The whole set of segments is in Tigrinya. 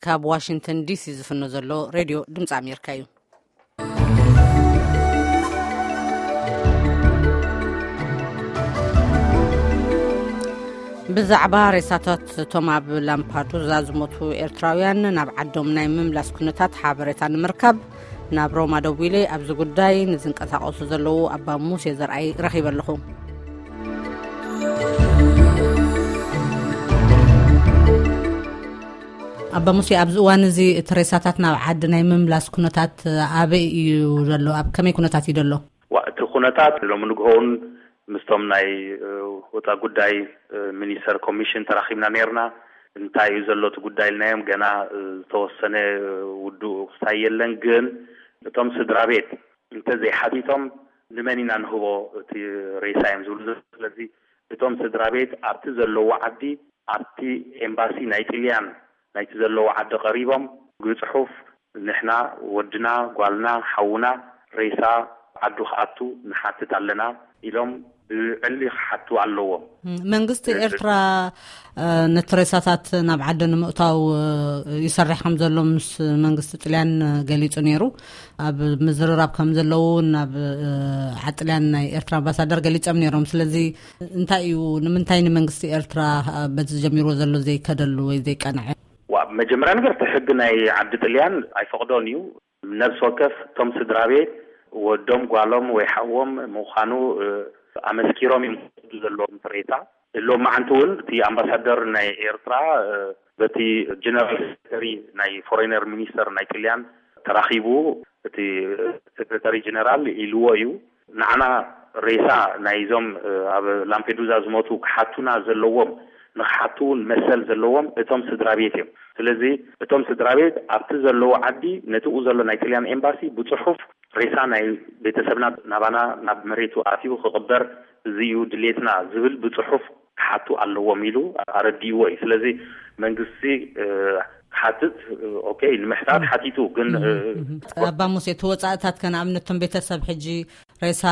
ካብ ዋሽንግተን ዲሲ ዝፍኖ ዘሎ ሬድዮ ድምፂ ኣሜሪካ እዩ። ብዛዕባ ሬሳታት እቶም ኣብ ላምፓዱዛ ዝሞቱ ኤርትራውያን ናብ ዓዶም ናይ ምምላስ ኩነታት ሓበሬታ ንምርካብ ናብ ሮማ ደዊለ ኣብዚ ጉዳይ ንዝንቀሳቐሱ ዘለዉ ኣባ ሙሴ ዘርኣይ ረኺበ ኣለኹ። ኣባ ሙሴ፣ ኣብዚ እዋን እዚ እቲ ሬሳታት ናብ ዓዲ ናይ ምምላስ ኩነታት ኣበይ እዩ ዘሎ? ኣብ ከመይ ኩነታት እዩ ዘሎ? ዋ፣ እቲ ኩነታት ሎሚ ንግሆውን ምስቶም ናይ፣ እ፣ ወፃ ጉዳይ፣ እ፣ ሚኒስተር ኮሚሽን ተራኺብና ነይርና። እንታይ እዩ ዘሎ እቲ ጉዳይ ኢልናዮም፣ ገና፣ እ፣ ዝተወሰነ፣ እ፣ ውዱእ ክስታይ የለን። ግን እቶም ስድራ ቤት እንተ ዘይሓቲቶም ንመን ኢና ንህቦ እቲ ሬሳ እዮም ዝብሉ ዘለዉ። ስለዚ እቶም ስድራ ቤት ኣብቲ ዘለዎ ዓዲ፣ ኣብቲ ኤምባሲ ናይ ጥልያን ናይቲ ዘለዎ ዓዲ ቀሪቦም ብጽሑፍ ንሕና ወድና፣ ጓልና፣ ሓውና ሬሳ ዓዱ ክኣቱ ንሓትት ኣለና ኢሎም ብዕሊ ክሓቱ ኣለዎም። ም-፣ መንግስቲ እ-፣ ኤርትራ፣ እ፣ ነቲ ሬሳታት ናብ ዓዲ ንምእታው፣ እ፣ ይሰርሕ ከም ዘሎ ምስ መንግስቲ ጥልያን፣ እ፣ ገሊጹ ነይሩ። ኣብ ምዝርራብ ከም ዘለዉ እውን ናብ፣ እ፣ ዓጥልያን ናይ ኤርትራ ኣምባሳደር ገሊጾም ነይሮም። ስለዚ እንታይ እዩ፣ ንምንታይ ንመንግስቲ ኤርትራ፣ እ፣ በዚ ጀሚርዎ ዘሎ ዘይከደሉ ወይ ዘይቀንዐ? ዋ፣ መጀመርያ ነገር እቲ ሕጊ ናይ ዓዲ ጥልያን ኣይፈቕዶን እዩ። ነብሲ ወከፍ እቶም ስድራ ቤት ወዶም ጓሎም ወይ ሓዎም ምዃኑ፣ እ፣ ኣመስኪሮም እዮም ዝወስዱ ዘለዎም ሬሳ። ሎማዓንቲ እውን እቲ ኣምባሳደር ናይ ኤርትራ፣ እ፣ በቲ ጀነራል ሴክሬተሪ ናይ ፎሬነር ሚኒስተር ናይ ጥልያን ተራኺቡ፣ እቲ ሴክሬተሪ ጀነራል ኢልዎ እዩ። ንዓና ሬሳ ናይዞም፣ እ፣ ኣብ ላምፔዱዛ ዝሞቱ ክሓቱና ዘለዎም፣ ንክሓቱ እውን መሰል ዘለዎም እቶም ስድራ ቤት እዮም። ስለዚ እቶም ስድራ ቤት ኣብቲ ዘለዎ ዓዲ ነቲኡ ዘሎ ናይ ጥልያን ኤምባሲ ብጽሑፍ ሬሳ ናይ ቤተሰብና ናባና ናብ መሬቱ ኣትዩ ክቕበር፣ እዚ እዩ ድሌትና ዝብል ብጽሑፍ ክሓቱ ኣለዎም ኢሉ ኣረዲእዎ እዩ። ስለዚ መንግስቲ፣ እ፣ ክሓትት፣ እ፣ ኦኬ፣ ንምሕታት ሓቲቱ፣ ግን፣ እ፣ ኣባ ሙሴ፣ እቲ ወጻእታት ከ ንኣብነት እቶም ቤተሰብ ሕጂ ሬሳ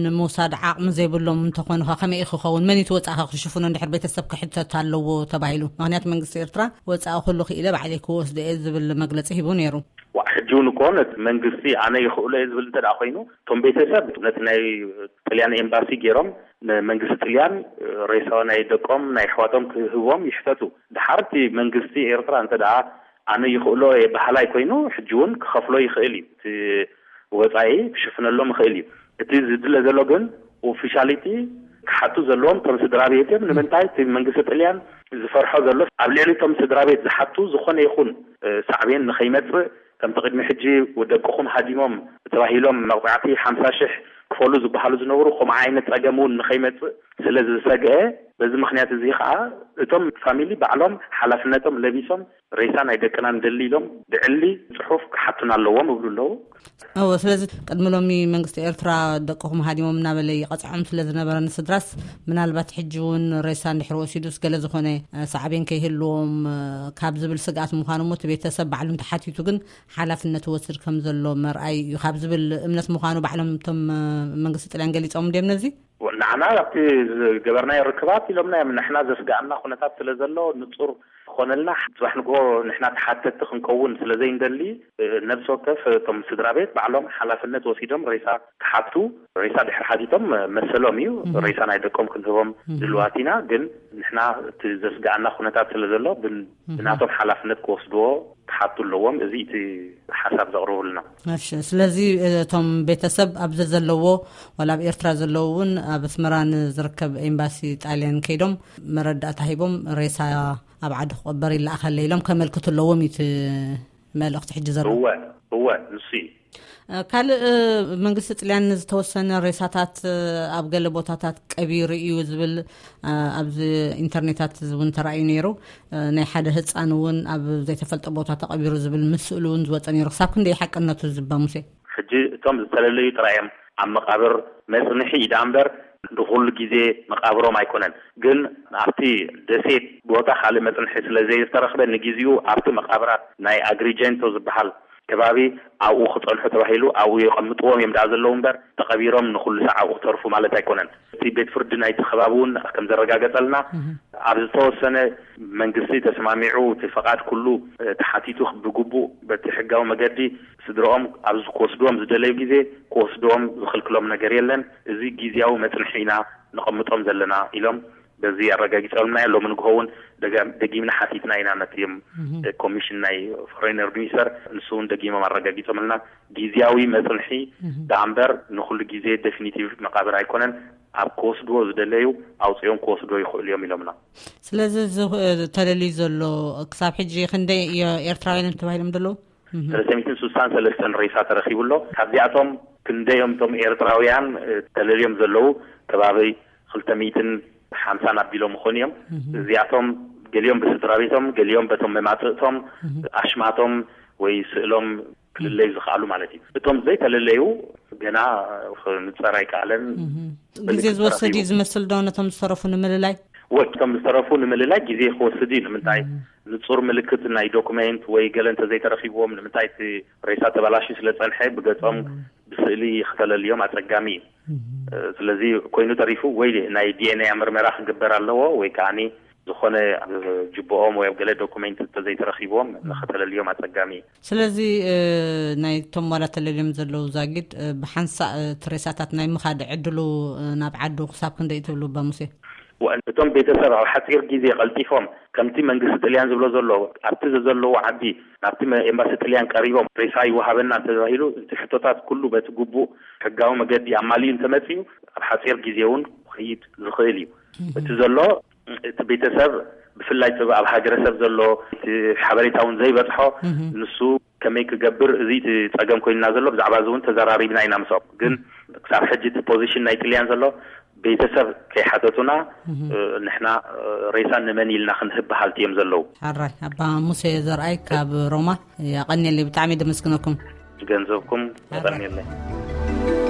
ንምውሳድ ዓቕሚ ዘይብሎም እንተኾኑ ከ ከመይ እዩ ክኸውን? መን እዩ እቲ ወጻኢ ከ ክሽፍኖ እንድሕር ቤተሰብ ክሕተት ኣለዎ ተባሂሉ? ምኽንያቱ መንግስቲ ኤርትራ ወጻኢ ኩሉ ክኢለ ባዕለይ ክወስዶ እየ ዝብል መግለጺ ሂቡ ነይሩ። ዋ፣ ሕጂ እውን እኮ ነቲ መንግስቲ ኣነ ይኽእሎ እየ ዝብል እንተ ደኣ ኮይኑ፣ እቶም ቤተሰብ ነቲ ናይ ጥልያን ኤምባሲ ገይሮም ንመንግስቲ ጥልያን ሬሳ ናይ ደቆም ናይ ኣሕዋቶም ክህቦም ይሕተቱ። ድሓር እቲ መንግስቲ ኤርትራ እንተ ደኣ ኣነ ይኽእሎ እየ በሃላይ ኮይኑ፣ ሕጂ እውን ክኸፍሎ ይኽእል እዩ። እቲ ወጻኢ ክሽፍነሎም ይኽእል እዩ። እቲ ዝድለ ዘሎ ግን ኦፊሻሊቲ ክሓቱ ዘለዎም እቶም ስድራ ቤት እዮም። ንምንታይ እቲ መንግስቲ ጥልያን ዝፈርሖ ዘሎ፣ ኣብ ልዕሊ እቶም ስድራ ቤት ዝሓቱ ዝኾነ ይኹን፣ እ፣ ሳዕቤን ንኸይመጽእ፣ ከምቲ ቅድሚ ሕጂ ደቅኹም ሃዲሞም ተባሂሎም መቕጻዕቲ ሓምሳ ሽሕ ክፈሉ ዝበሃሉ ዝነበሩ፣ ከምኡ ዓይነት ጸገም እውን ንኸይመጽእ ስለ ዝሰግአ፣ በዚ ምኽንያት እዚ ኸኣ እቶም ፋሚሊ ባዕሎም ሓላፍነቶም ለቢሶም ሬሳ ናይ ደቅና ንደሊ ኢሎም ብዕሊ ጽሑፍ ክሓቱና ኣለዎም እብሉ ኣለዉ። እወ፣ ስለዚ ቅድሚ ሎሚ መንግስቲ ኤርትራ ደቅኹም ሃዲሞም እናበለ ይቐጽዖም ስለ ዝነበረ ንስድራስ፣ ምናልባት ሕጂ እውን ሬሳ እንድሕር ወሲዱስ ገለ ዝኾነ፣ እ፣ ሳዕቤን ከይህልዎም፣ እ፣ ካብ ዝብል ስግኣት ምዃኑ እሞ እቲ ቤተሰብ ባዕሉ እንተሓቲቱ ግን ሓላፍነት ይወስድ ከም ዘሎ መርኣይ እዩ ካብ ዝብል እምነት ምዃኑ ባዕሎም እቶም፣ እ፣ መንግስቲ ጥልያን ገሊጾም እንድዮም ነዚ? ንዓና ኣብቲ ዝገበርናዮ ርክባት ኢሎምና እዮም። ንሕና ዘስግኣና ኩነታት ስለ ዘሎ ንጹር ክኾነልና፣ ጽባሕ ንግሆ ንሕና ተሓተትቲ ክንከውን ስለ ዘይንደሊ፣ እ፣ ነብሲ ወከፍ እቶም ስድራ ቤት ባዕሎም ሓላፍነት ወሲዶም ሬሳ ክሓቱ፣ ሬሳ ድሕሪ ሓቲቶም መሰሎም እዩ። እህ። ሬሳ ናይ ደቆም ክንህቦም እህ። ድልዋት ኢና፣ ግን ንሕና እቲ ዘስግኣና ኩነታት ስለ ዘሎ ብን-፣ እህ። ብናቶም ሓላፍነት ክወስድዎ ክሓቱ ኣለዎም። እዚ እቲ ሓሳብ ዘቕርቡልና። እሺ፣ ስለዚ እቶም ቤተሰብ ኣብዚ ዘለዎ፣ ዋላ ኣብ ኤርትራ ዘለዉ እውን ኣብ ኣስመራ ንዝርከብ ኤምባሲ ጣልያን ከይዶም መረዳእታ ሂቦም ሬሳ ኣብ ዓዲ ክቕበር ይለኣኸለ ኢሎም ከመልክቱ ኣለዎም እዩ እቲ መልእኽቲ ሕጂ ዘሎ። እወ፣ እወ፣ ንሱ እዩ። እ፣ ካልእ፣ እ፣ መንግስቲ ጥልያን ዝተወሰነ ሬሳታት፣ እ፣ ኣብ ገለ ቦታታት ቀቢሩ እዩ ዝብል፣ እ፣ ኣብዚ ኢንተርኔታት እውን ተራእዩ ነይሩ። እ፣ ናይ ሓደ ህጻን እውን ኣብ ዘይተፈልጠ ቦታ ተቐቢሩ ዝብል ምስሉ እውን ዝወጸ ነይሩ። ክሳብ ክንደይ ሓቅነቱ ዝባ ሙሴ? ሕጂ እቶም ዝተለለዩ ጥራይ እዮም ኣብ መቓብር መጽንሒ ኢዳ እምበር ንኹሉ ግዜ መቓብሮም ኣይኮነን። ግን ኣብቲ ደሴት ቦታ ካልእ መጽንሒ ስለ ዘይተረኽበ ንግዜኡ ኣብቲ መቓብራት ናይ ኣግሪጀንቶ ዝበሃል ከባቢ ኣብኡ ክጸንሑ ተባሂሉ ኣብኡ የቐምጥዎም እዮም ደኣ ዘለዉ እምበር ተቐቢሮም ንኹሉ ሳዕ ኣብኡ ክተርፉ ማለት ኣይኮነን። እቲ ቤት ፍርዲ ናይቲ ከባቢ እውን ከም ዘረጋገጸልና እህ። ኣብ ዝተወሰነ መንግስቲ ተስማሚዑ እቲ ፈቓድ ኩሉ ተሓቲቱ ብግቡእ በቲ ሕጋዊ መገዲ ስድረኦም ኣብዚ ክወስድዎም ዝደለዩ ግዜ ክወስድዎም ዝኽልክሎም ነገር የለን። እዚ ግዜያዊ መፅንሒ ኢና ነቐምጦም ዘለና ኢሎም በዚ ኣረጋጊፆምና። ሎሚ ንግሆ እውን ደጊምና ሓቲትና ኢና ነቲ ኮሚሽን ናይ ፎሬነር ሚኒስተር፣ ንሱ እውን ደጊሞም ኣረጋጊፆምልና። ግዜያዊ መፅንሒ ደኣ እምበር ንኩሉ ግዜ ዴፊኒቲቭ መቃብር ኣይኮነን። ኣብ ክወስድዎ ዝደለዩ ኣውፅኦም ክወስድዎ ይኽእሉ እዮም ኢሎምና። ስለዚ ተለልዩ ዘሎ ክሳብ ሕጂ ክንደይ ኤርትራውያን ተባሂሎም ዘለዉ? ሰለስተ ሚእትን ስሳን ሰለስተን ሬሳ ተረኪቡ ኣሎ። ካብዚኣቶም ክንደዮም እቶም ኤርትራውያን ተለልዮም ዘለዉ? ከባቢ ክልተ ሚእትን ሓምሳን ኣቢሎም ምኾኑ እዮም። እዚኣቶም ገሊኦም ብስድራ ቤቶም፣ ገሊኦም በቶም መማፅእቶም፣ ኣሽማቶም ወይ ስእሎም ክልለዩ ዝኽኣሉ ማለት እዩ። እቶም ዘይተለለዩ ገና ንፀር ኣይከኣለን። ግዜ ዝወሰድ እዩ ዝመስል ዶ ነቶም ዝተረፉ ንምልላይ? ወቶም ዝተረፉ ንምልላይ ግዜ ክወስድ እዩ። ንምንታይ? ንፁር ምልክት ናይ ዶኩሜንት ወይ ገለ እንተዘይተረኪብዎም፣ ንምንታይ? እቲ ሬሳ ተበላሽዩ ስለፀንሐ ብገፆም ብስእሊ ክተለልዮም ኣፀጋሚ እዩ። ስለዚ ኮይኑ ተሪፉ ወይ ናይ ዲኤንኤ ምርመራ ክግበር ኣለዎ ወይ ከዓ ዝኾነ ጅብኦም ወይ ኣብ ገለ ዶኩሜንት እንተዘይተረኪብዎም ንክተለልዮም ኣፀጋሚ እዩ። ስለዚ ናይቶም ዋላ ተለልዮም ዘለዉ ዛጊድ ብሓንሳእ እቲ ሬሳታት ናይ ምኻድ ዕድሉ ናብ ዓዱ ክሳብ ክንደይ ትብሉ ኣባ ሙሴ? እቶም ቤተሰብ ኣብ ሓፂር ግዜ ቀልጢፎም ከምቲ መንግስቲ ጥልያን ዝብሎ ዘሎ ኣብቲ ዘለዉ ዓዲ ናብቲ ኤምባሲ ጥልያን ቀሪቦም ሬሳ ይወሃበና እንተተባሂሉ እቲ ሕቶታት ኩሉ በቲ ግቡእ ሕጋዊ መገዲ ኣማሊኡ እንተመፅዩ ኣብ ሓፂር ግዜ እውን ክኸይድ ዝኽእል እዩ። እቲ ዘሎ እቲ ቤተሰብ ብፍላይ እቲ ኣብ ሃገረሰብ ዘሎ እቲ ሓበሬታ እውን ዘይበፅሖ ንሱ ከመይ ክገብር እዚ እቲ ፀገም ኮይንና ዘሎ ብዛዕባ እዚ እውን ተዘራሪብና ኢና ምስኦም። ግን ክሳብ ሕጂ እቲ ፖዚሽን ናይ ጥልያን ዘሎ ቤተሰብ ከይሓተቱና ንሕና ሬሳ ንመን ኢልና ክንህብ በሃልቲ እዮም ዘለዉ። ሓራይ ኣባ ሙሴ ዘርኣይ ካብ ሮማ ኣቐንየለይ፣ ብጣዕሚ ደመስግነኩም። ገንዘብኩም የቐንየለይ።